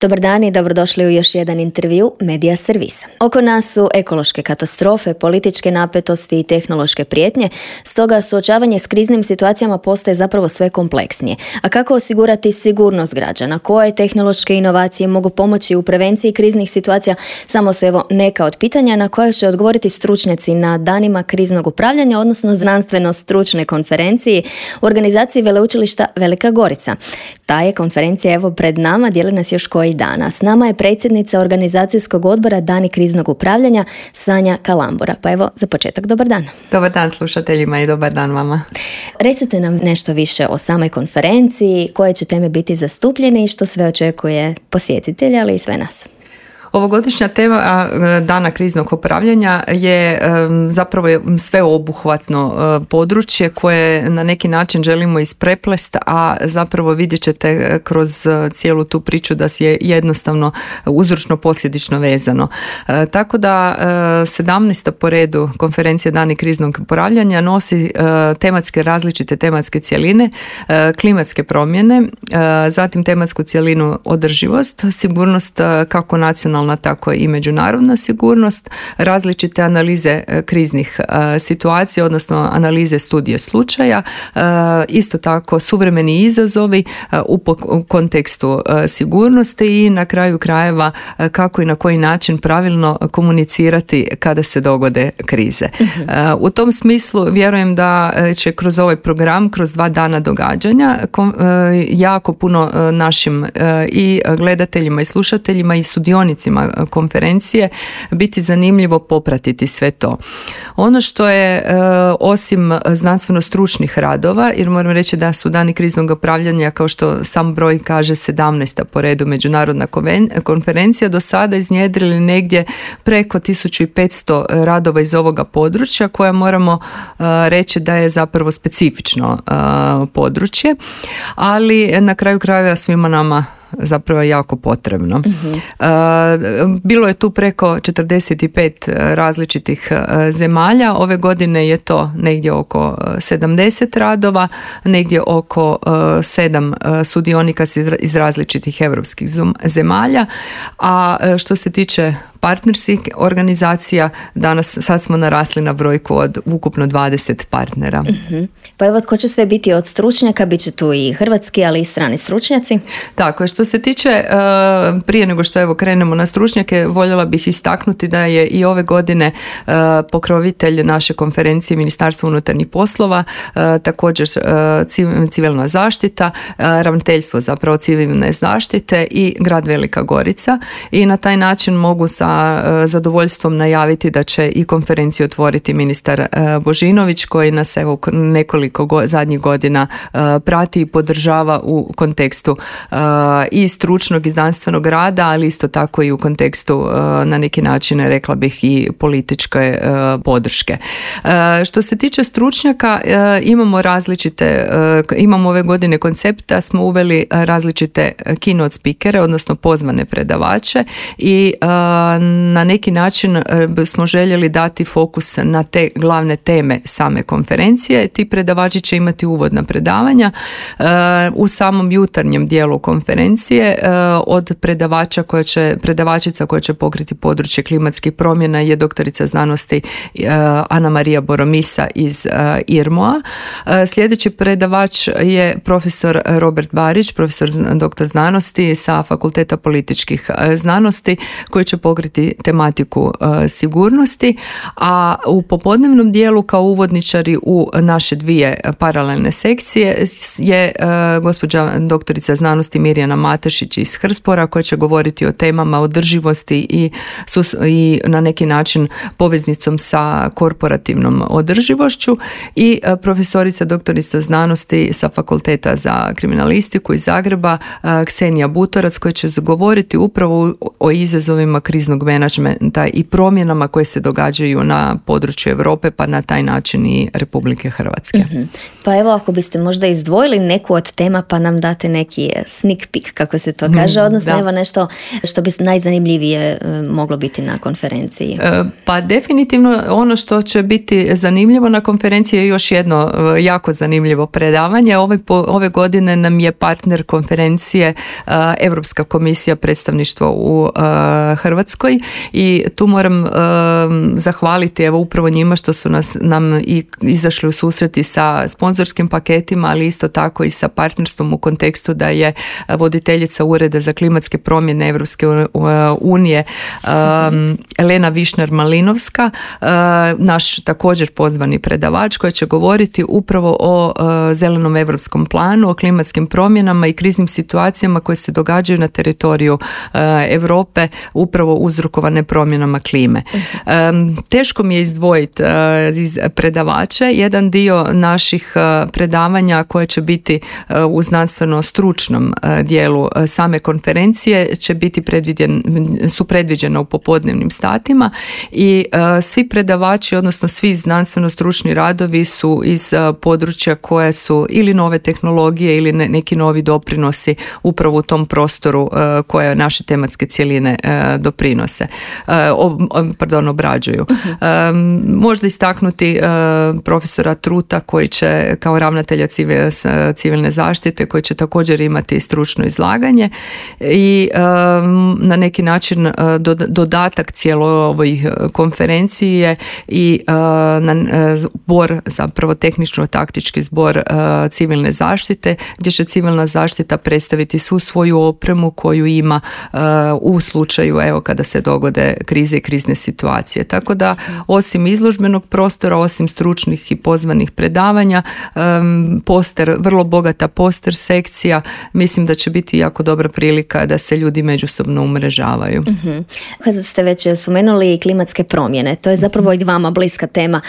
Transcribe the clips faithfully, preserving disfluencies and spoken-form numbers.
Dobar dan i dobrodošli u još jedan intervju Medija servisa. Oko nas su ekološke katastrofe, političke napetosti i tehnološke prijetnje, stoga suočavanje s kriznim situacijama postaje zapravo sve kompleksnije. A kako osigurati sigurnost građana? Koje tehnološke inovacije mogu pomoći u prevenciji kriznih situacija? Samo su evo neka od pitanja na koje će odgovoriti stručnjaci na danima kriznog upravljanja, odnosno znanstveno-stručne konferenciji u organizaciji Veleučilišta Velika Gorica. Ta je konferencija evo pred nama, dijeli nas još koji dana. S nama je predsjednica organizacijskog odbora Dani kriznog upravljanja Sanja Kalambura. Pa evo, za početak, dobar dan. Dobar dan slušateljima i dobar dan vama. Recite nam nešto više o samoj konferenciji, koje će teme biti zastupljene i što sve očekuje posjetitelja, ali i sve nas. Ovogodišnja tema Dana kriznog upravljanja je zapravo sveobuhvatno područje koje na neki način želimo ispreplest, a zapravo vidjet ćete kroz cijelu tu priču da je jednostavno uzročno posljedično vezano. Tako da sedamnaesta po redu konferencija Dani kriznog upravljanja nosi tematske različite tematske cjeline, klimatske promjene, zatim tematsku cjelinu održivost, sigurnost kako nacionalna tako i međunarodna sigurnost, različite analize kriznih situacija, odnosno analize studije slučaja, isto tako suvremeni izazovi u kontekstu sigurnosti i na kraju krajeva kako i na koji način pravilno komunicirati kada se dogode krize. Uh-huh. U tom smislu vjerujem da će kroz ovaj program, kroz dva dana događanja, jako puno našim i gledateljima i slušateljima i sudionicima konferencije biti zanimljivo popratiti sve to. Ono što je e, osim znanstveno stručnih radova, jer moram reći da su Dani kriznog upravljanja, kao što sam broj kaže, sedamnaesta po redu međunarodna konferencija, do sada iznjedrili negdje preko tisuću petsto radova iz ovoga područja, koja moramo e, reći da je zapravo specifično e, područje, ali na kraju krajeva svima nama zapravo jako potrebno. Uh-huh. Bilo je tu preko četrdeset pet različitih zemalja. Ove godine je to negdje oko sedamdeset radova, negdje oko sedam sudionika iz različitih europskih zemalja. A što se tiče partnerskih organizacija, danas sad smo narasli na brojku od ukupno dvadeset partnera. Uh-huh. Pa evo, tko će sve biti od stručnjaka? Biće tu i hrvatski, ali i strani stručnjaci. Tako je. Što se tiče, prije nego što evo krenemo na stručnjake, voljela bih istaknuti da je i ove godine pokrovitelj naše konferencije Ministarstvo unutarnjih poslova, također civilna zaštita, ravnateljstvo zapravo civilne zaštite i grad Velika Gorica, i na taj način mogu sa zadovoljstvom najaviti da će i konferenciju otvoriti ministar Božinović, koji nas evo nekoliko go, zadnjih godina prati i podržava u kontekstu i stručnog i znanstvenog rada, ali isto tako i u kontekstu na neki način, rekla bih, i političke podrške. Što se tiče stručnjaka, imamo različite, imamo ove godine koncept da smo uveli različite keynote speakere, odnosno pozvane predavače, i na neki način smo željeli dati fokus na te glavne teme same konferencije. Ti predavači će imati uvodna predavanja u samom jutarnjem dijelu konferencije. Od predavača koja će, predavačica koja će pokriti područje klimatskih promjena je doktorica znanosti Ana Marija Boromisa iz I R M O-a. Sljedeći predavač je profesor Robert Barić, profesor doktor znanosti sa Fakulteta političkih znanosti, koji će pokriti tematiku sigurnosti, a u popodnevnom dijelu kao uvodničari u naše dvije paralelne sekcije je gospođa doktorica znanosti Mirjana Matešić iz Hrspora, koja će govoriti o temama održivosti i, sus, i na neki način poveznicom sa korporativnom održivošću, i profesorica doktorica znanosti sa Fakulteta za kriminalistiku iz Zagreba Ksenija Butorac, koja će govoriti upravo o izazovima kriznog kriznog menadžmenta i promjenama koje se događaju na području Europe, pa na taj način i Republike Hrvatske. Mm-hmm. Pa evo, ako biste možda izdvojili neku od tema, pa nam date neki sneak peek, kako se to kaže, odnosno da. Evo nešto što bi najzanimljivije moglo biti na konferenciji. Pa definitivno ono što će biti zanimljivo na konferenciji je još jedno jako zanimljivo predavanje. Ove, ove godine nam je partner konferencije Europska komisija predstavništvo u Hrvatskoj i tu moram zahvaliti evo upravo njima što su nas, nam i izašli u susreti sa sponzorskim paketima, ali isto tako i sa partnerstvom u kontekstu da je voditeljica Ureda za klimatske promjene Europske unije um, Elena Višnar-Malinovska, uh, naš također pozvani predavač koji će govoriti upravo o uh, zelenom europskom planu, o klimatskim promjenama i kriznim situacijama koje se događaju na teritoriju uh, Europe upravo uzrokovane promjenama klime. Um, teško mi je izdvojiti uh, iz predavača. Jedan dio naših uh, predavanja koje će biti uh, u znanstveno stručnom uh, dijelu uh, same konferencije će biti predvidjen, su predviđena u popodnevnim statima i uh, svi predavači, odnosno svi znanstveno stručni radovi su iz uh, područja koje su ili nove tehnologije ili ne, neki novi doprinosi upravo u tom prostoru uh, koje naše tematske cjeline uh, doprinose, uh, ob, pardon, obrađuju. Uh-huh. Um, možda istaknuti uh, profesora Truta koji će kao ravnatelja civil, civilne zaštite koji će također imati stručno izlaganje i um, na neki način uh, dodatak cijeloj ovoj konferenciji je i uh, na, uh, zbor, zapravo tehničko-taktički zbor uh, civilne zaštite gdje će civilna zaštita predstaviti svu svoju opremu koju ima uh, u slučaju evo kada se dogode krize i krizne situacije. Tako da osim izložbenog prostora, osim stručnih i pozvanih predavanja, um, poster, vrlo bogata poster sekcija, mislim da će biti jako dobra prilika da se ljudi međusobno umrežavaju. Mm-hmm. Kad ste već spomenuli klimatske promjene, to je zapravo i vama bliska tema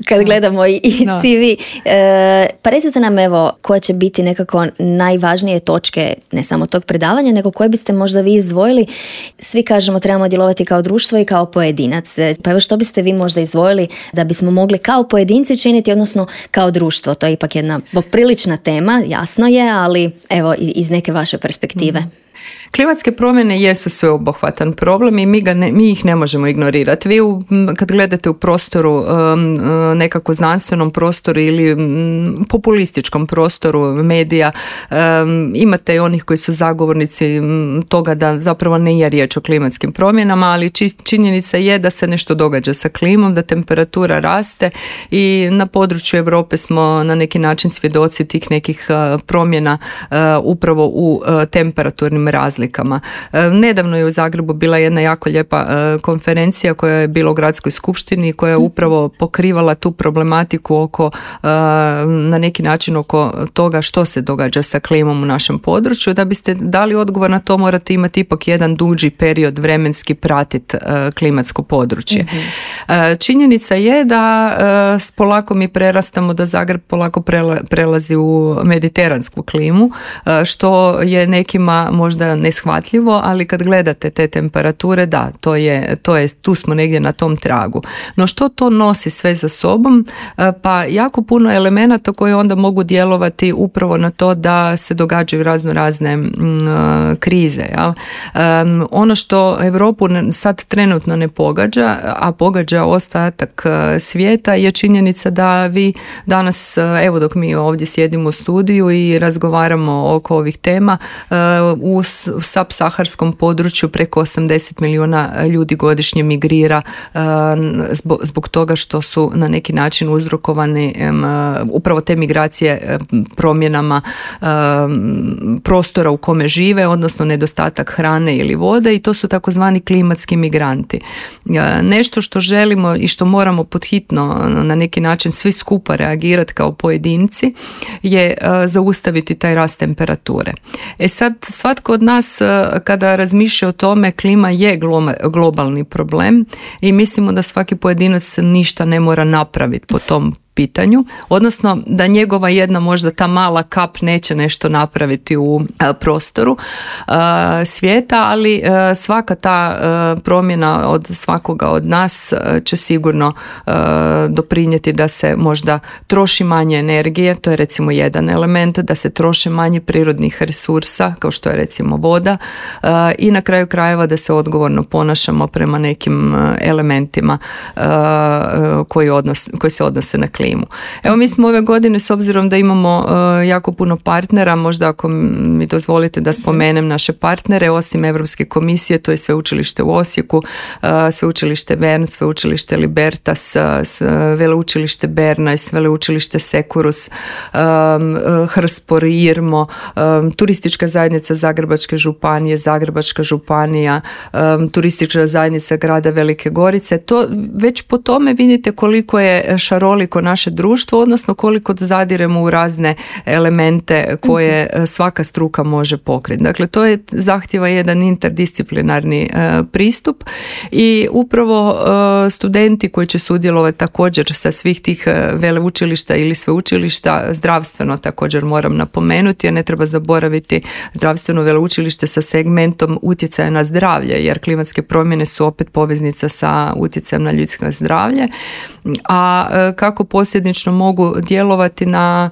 kad gledamo i, i no. C V. E, pa recite nam evo koje će biti nekako najvažnije točke ne samo tog predavanja, nego koje biste možda vi izdvojili. Svi kažemo trebamo djelovati kao društvo i kao pojedinac. Pa evo što biste vi možda izdvojili da bismo mogli kao pojedinci činiti, odnosno kao društvo? To je ipak jedna poprilična tema, jasno je, ali evo iz neke vaše perspektive. Mm. Klimatske promjene jesu sveobuhvatan problem i mi, ga ne, mi ih ne možemo ignorirati. Vi u, kad gledate u prostoru, nekako znanstvenom prostoru ili populističkom prostoru medija, imate i onih koji su zagovornici toga da zapravo ne je riječ o klimatskim promjenama, ali činjenica je da se nešto događa sa klimom, da temperatura raste i na području Europe smo na neki način svjedoci tih nekih promjena upravo u temperaturnim razlikama. Nedavno je u Zagrebu bila jedna jako lijepa konferencija koja je bila u gradskoj skupštini koja je upravo pokrivala tu problematiku oko, na neki način oko toga što se događa sa klimom u našem području. Da biste dali odgovor na to morate imati ipak jedan duži period vremenski pratiti klimatsko područje. Mm-hmm. Činjenica je da polako mi prerastamo, da Zagreb polako prelazi u mediteransku klimu, što je nekima možda neshvatljivo, ali kad gledate te temperature, da, to je, to je, tu smo negdje na tom tragu. No što to nosi sve za sobom? Pa jako puno elemenata koji onda mogu djelovati upravo na to da se događaju razno razne mm, krize. Ja? Um, ono što Europu sad trenutno ne pogađa, a pogađa ostatak svijeta, je činjenica da vi danas, evo dok mi ovdje sjedimo u studiju i razgovaramo oko ovih tema, u subsaharskom području preko osamdeset milijuna ljudi godišnje migrira zbog, zbog toga što su na neki način uzrokovani upravo te migracije promjenama prostora u kome žive, odnosno nedostatak hrane ili vode, i to su takozvani klimatski migranti. Nešto što želimo i što moramo podhitno na neki način svi skupa reagirati kao pojedinci je zaustaviti taj rast temperature. E sad, svatko od nas kada razmišlja o tome, klima je globalni problem i mislimo da svaki pojedinac ništa ne mora napraviti po tom pitanju, odnosno da njegova jedna možda ta mala kap neće nešto napraviti u prostoru svijeta, ali svaka ta promjena od svakoga od nas će sigurno doprinijeti da se možda troši manje energije, to je recimo jedan element, da se troše manje prirodnih resursa, kao što je recimo voda, i na kraju krajeva da se odgovorno ponašamo prema nekim elementima koji, odnos, koji se odnose na klimu. Evo, mi smo ove godine, s obzirom da imamo jako puno partnera, možda ako mi dozvolite da spomenem naše partnere, osim Europske komisije, to je Sveučilište u Osijeku, Sveučilište Vern, Sveučilište Libertas, Veleučilište Berna, Veleučilište Sekurus, Hrspor, Irmo, Turistička zajednica Zagrebačke županije, Zagrebačka županija, Turistička zajednica grada Velike Gorice. To, već po tome vidite koliko je šaroliko naše društvo, odnosno koliko zadiremo u razne elemente koje svaka struka može pokriti. Dakle, to je zahtjeva jedan interdisciplinarni pristup i upravo studenti koji će sudjelovati također sa svih tih veleučilišta ili sveučilišta, zdravstveno također moram napomenuti, jer ne treba zaboraviti zdravstveno veleučilište sa segmentom utjecaja na zdravlje, jer klimatske promjene su opet poveznica sa utjecajem na ljudsko zdravlje, a kako posljedično mogu djelovati na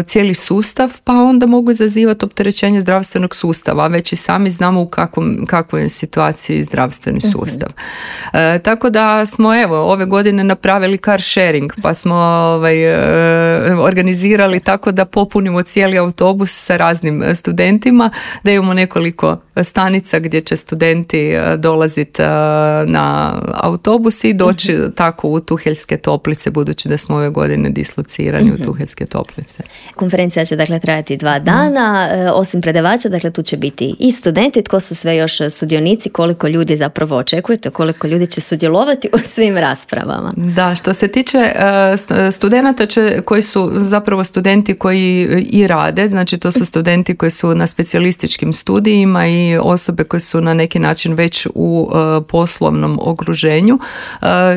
cijeli sustav, pa onda mogu izazivati opterećenje zdravstvenog sustava, već i sami znamo u kakvom, kakvoj je situaciji zdravstveni sustav. Mm-hmm. E, tako da smo evo ove godine napravili car sharing, pa smo ovaj, e, organizirali tako da popunimo cijeli autobus sa raznim studentima, da imamo nekoliko stanica gdje će studenti dolaziti na autobus i doći mm-hmm. tako u Tuheljske toplice, budući da smo ove godine dislocirani mm-hmm. u Tuheljske toplice. Konferencija će dakle trajati dva dana, osim predavača, dakle tu će biti i studenti. Tko su sve još sudionici, koliko ljudi zapravo očekujete, koliko ljudi će sudjelovati u svim raspravama? Da, što se tiče studenata će, koji su zapravo studenti koji i rade, znači to su studenti koji su na specijalističkim studijima i osobe koje su na neki način već u poslovnom okruženju.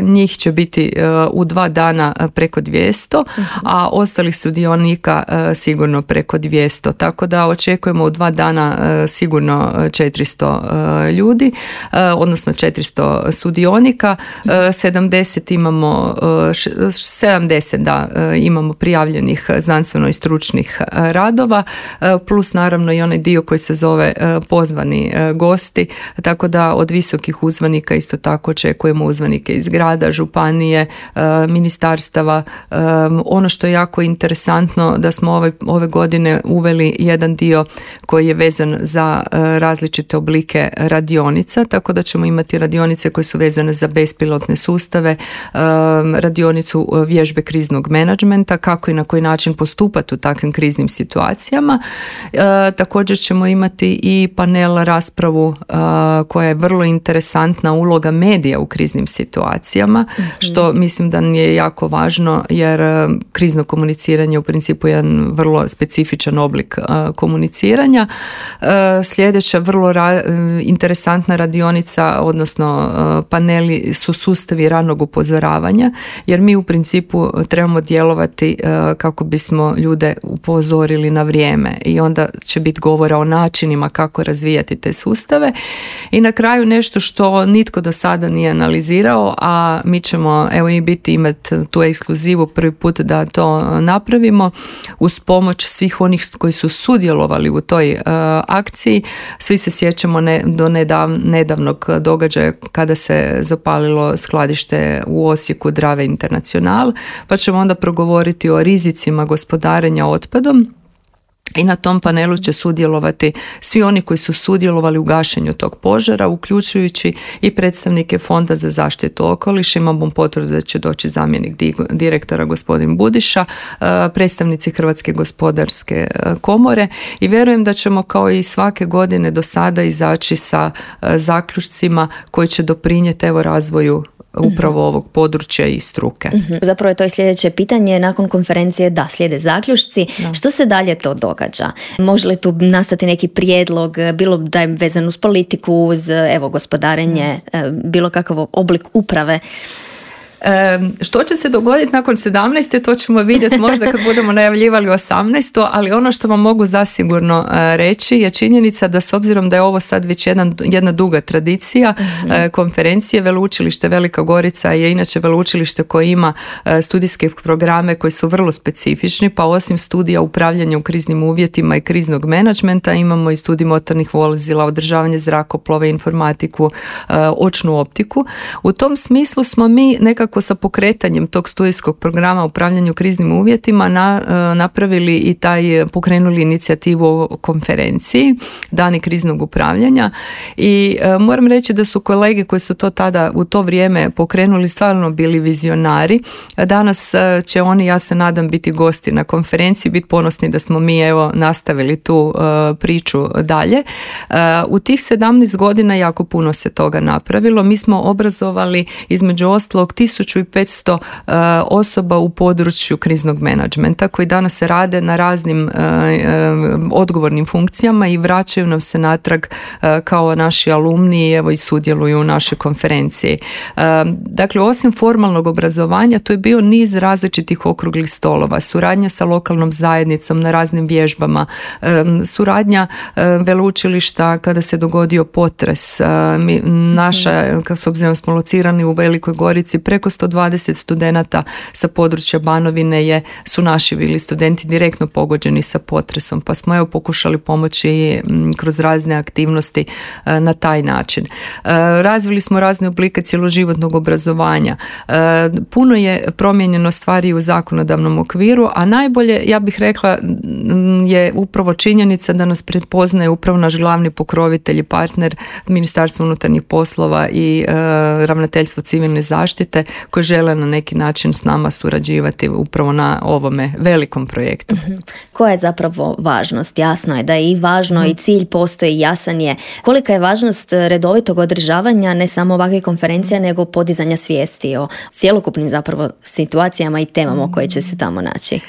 Njih će biti u dva dana preko dvjesto, a ostalih sudionika sigurno preko dvjesto. Tako da očekujemo u dva dana sigurno četiristo ljudi, odnosno četiristo sudionika. sedamdeset imamo, sedamdeset da, imamo prijavljenih znanstveno i stručnih radova, plus naravno i onaj dio koji se zove pozvani gosti, tako da od visokih uzvanika isto tako očekujemo uzvanike iz grada, županije, ministarstava. Ono što je jako interesantno da smo ove, ove godine uveli jedan dio koji je vezan za različite oblike radionica, tako da ćemo imati radionice koje su vezane za bespilotne sustave, radionicu vježbe kriznog menadžmenta, kako i na koji način postupati u takvim kriznim situacijama. Također ćemo imati i panel raspravu koja je vrlo interesantna, uloga medija u kriznim situacijama, mm-hmm. što mislim da je jako važno, jer krizno komuniciranje je u principu jedan vrlo specifičan oblik komuniciranja. Sljedeća vrlo ra- interesantna radionica, odnosno paneli su sustavi ranog upozoravanja, jer mi u principu trebamo djelovati kako bismo ljude upozorili na vrijeme i onda će biti govora o načinima kako razvijati te sustave. I na kraju nešto što nitko do sada nije analizirao, a mi ćemo evo i biti imati tu ekskluzivu prvi put da to napravimo uz pomoć svih onih koji su sudjelovali u toj uh, akciji. Svi se sjećamo ne, do nedav, nedavnog događaja kada se zapalilo skladište u Osijeku Drave International, pa ćemo onda progovoriti o rizicima gospodarenja otpadom. I na tom panelu će sudjelovati svi oni koji su sudjelovali u gašenju tog požara, uključujući i predstavnike Fonda za zaštitu okoliša. Imamo potvrdu da će doći zamjenik direktora gospodin Budiša, predstavnici Hrvatske gospodarske komore i vjerujem da ćemo kao i svake godine do sada izaći sa zaključcima koji će doprinijeti evo razvoju upravo mm-hmm. ovog područja i struke. Mm-hmm. Zapravo je to i sljedeće pitanje. Nakon konferencije da slijede zaključci. Da. Što se dalje to događa? Može li tu nastati neki prijedlog, bilo da je vezan uz politiku, uz evo, gospodarenje, mm. bilo kakav oblik uprave? Što će se dogoditi nakon sedamnaeste, to ćemo vidjeti možda kad budemo najavljivali osamnaestu, ali ono što vam mogu zasigurno reći je činjenica da s obzirom da je ovo sad već jedna, jedna duga tradicija mm-hmm. konferencije, Veleučilište Velika Gorica je inače veleučilište koje ima studijske programe koji su vrlo specifični, pa osim studija upravljanja u kriznim uvjetima i kriznog menadžmenta imamo i studij motornih vozila, održavanje zrakoplova, informatiku, očnu optiku. U tom smislu smo mi nekako sa pokretanjem tog studijskog programa upravljanju kriznim uvjetima na, napravili i taj, pokrenuli inicijativu o konferenciji Dani kriznog upravljanja i e, moram reći da su kolege koji su to tada u to vrijeme pokrenuli stvarno bili vizionari. Danas će oni, ja se nadam, biti gosti na konferenciji, biti ponosni da smo mi evo nastavili tu e, priču dalje. E, u tih sedamnaest godina jako puno se toga napravilo. Mi smo obrazovali između ostalog tisuću petsto e, osoba u području kriznog menadžmenta koji danas se rade na raznim e, e, odgovornim funkcijama i vraćaju nam se natrag e, kao naši alumni evo i sudjeluju u našoj konferenciji. E, dakle, osim formalnog obrazovanja, to je bio niz različitih okruglih stolova, suradnja sa lokalnom zajednicom na raznim vježbama, e, suradnja e, veleučilišta kada se dogodio potres. E, mi, naša, kako s obzirom smo locirani u Velikoj Gorici, preko sto dvadeset studenata sa područja Banovine je, su naši bili studenti direktno pogođeni sa potresom, pa smo evo pokušali pomoći kroz razne aktivnosti e, na taj način. E, razvili smo razne oblike cjeloživotnog obrazovanja. E, puno je promijenjeno stvari u zakonodavnom okviru, a najbolje, ja bih rekla, je upravo činjenica da nas prepoznaje upravo naš glavni pokrovitelj i partner Ministarstvo unutarnjih poslova i e, Ravnateljstvo civilne zaštite koji žele na neki način s nama surađivati upravo na ovome velikom projektu. Mm-hmm. Koja je zapravo važnost? Jasno je da je i važno mm-hmm. i cilj postoji, jasan je. Kolika je važnost redovitog održavanja ne samo ovakve konferencije, nego podizanja svijesti o cjelokupnim zapravo situacijama i temama koje će se tamo naći?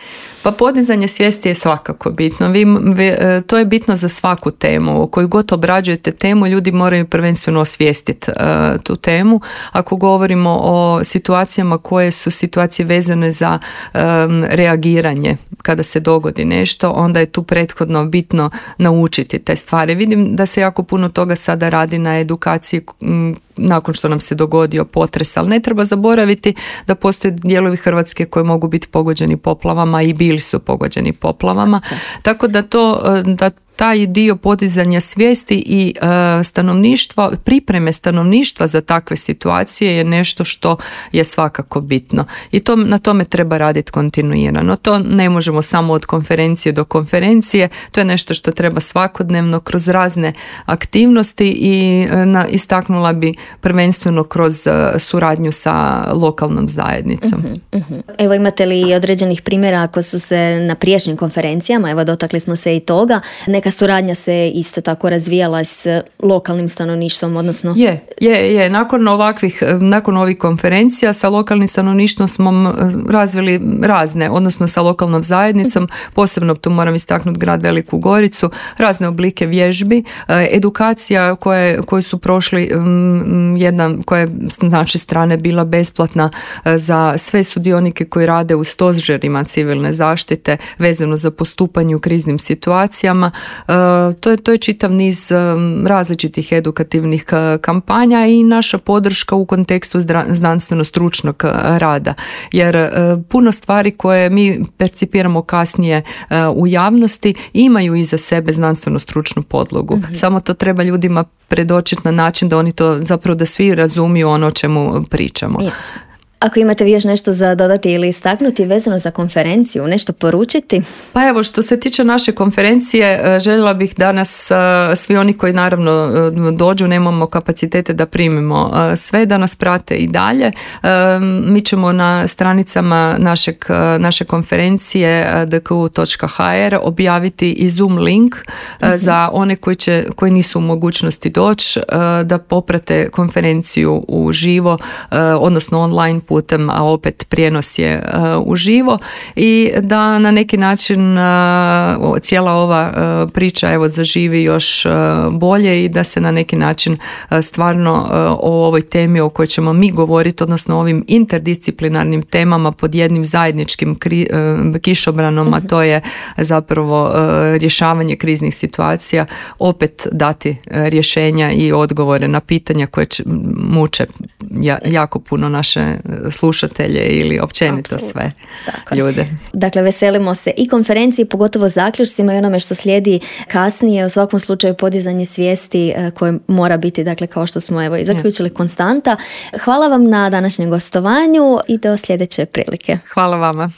Pa podizanje svijesti je svakako bitno. Vi, vi, to je bitno za svaku temu. O koju god obrađujete temu, ljudi moraju prvenstveno osvijestiti uh, tu temu. Ako govorimo o situacijama koje su situacije vezane za um, reagiranje kada se dogodi nešto, onda je tu prethodno bitno naučiti te stvari. Vidim da se jako puno toga sada radi na edukaciji m, nakon što nam se dogodio potres, ali ne treba zaboraviti da postoje dijelovi Hrvatske koji mogu biti pogođeni poplavama i bili su pogođeni poplavama. Okay. Tako da to, da taj dio podizanja svijesti i e, stanovništva, pripreme stanovništva za takve situacije je nešto što je svakako bitno. I to, na tome treba raditi kontinuirano. To ne možemo samo od konferencije do konferencije, to je nešto što treba svakodnevno kroz razne aktivnosti i e, na, istaknula bi prvenstveno kroz e, suradnju sa lokalnom zajednicom. Uh-huh, uh-huh. Evo, imate li određenih primjera ako su se na prijašnjim konferencijama, evo dotakli smo se i toga, neka suradnja se isto tako razvijala s lokalnim stanovništvom, odnosno... Je, je, je. Nakon ovakvih, nakon ovih konferencija sa lokalnim stanovništvom smo razvili razne, odnosno sa lokalnom zajednicom, posebno tu moram istaknuti grad Veliku Goricu, razne oblike vježbi, edukacija koje, koje su prošli, jedna koja je s naše strane bila besplatna za sve sudionike koji rade u stožerima civilne zaštite vezano za postupanje u kriznim situacijama. To je, to je čitav niz različitih edukativnih kampanja i naša podrška u kontekstu znanstveno-stručnog rada. Jer puno stvari koje mi percipiramo kasnije u javnosti imaju iza sebe znanstveno-stručnu podlogu. Mm-hmm. Samo to treba ljudima predočiti na način da oni to zapravo da svi razumiju ono o čemu pričamo. Jasno. Ako imate vi još nešto za dodati ili istaknuti vezano za konferenciju, nešto poručiti? Pa evo, što se tiče naše konferencije, željela bih danas svi oni koji naravno dođu, nemamo kapacitete da primimo sve, da nas prate i dalje. Mi ćemo na stranicama našeg, naše konferencije d k u točka h r objaviti i Zoom link uh-huh. za one koji, će, koji nisu u mogućnosti doći da poprate konferenciju u živo, odnosno online putem, a opet prijenos je uživo i da na neki način cijela ova priča evo zaživi još bolje i da se na neki način stvarno o ovoj temi o kojoj ćemo mi govoriti, odnosno ovim interdisciplinarnim temama pod jednim zajedničkim kri, kišobranom, a to je zapravo rješavanje kriznih situacija, opet dati rješenja i odgovore na pitanja koje muče jako puno naše slušatelje ili općenito Absolutno. sve Tako. ljude. Dakle, veselimo se i konferenciji, pogotovo zaključcima i onome što slijedi kasnije, u svakom slučaju podizanje svijesti koje mora biti, dakle, kao što smo evo i zaključili, konstanta. Hvala vam na današnjem gostovanju i do sljedeće prilike. Hvala vama.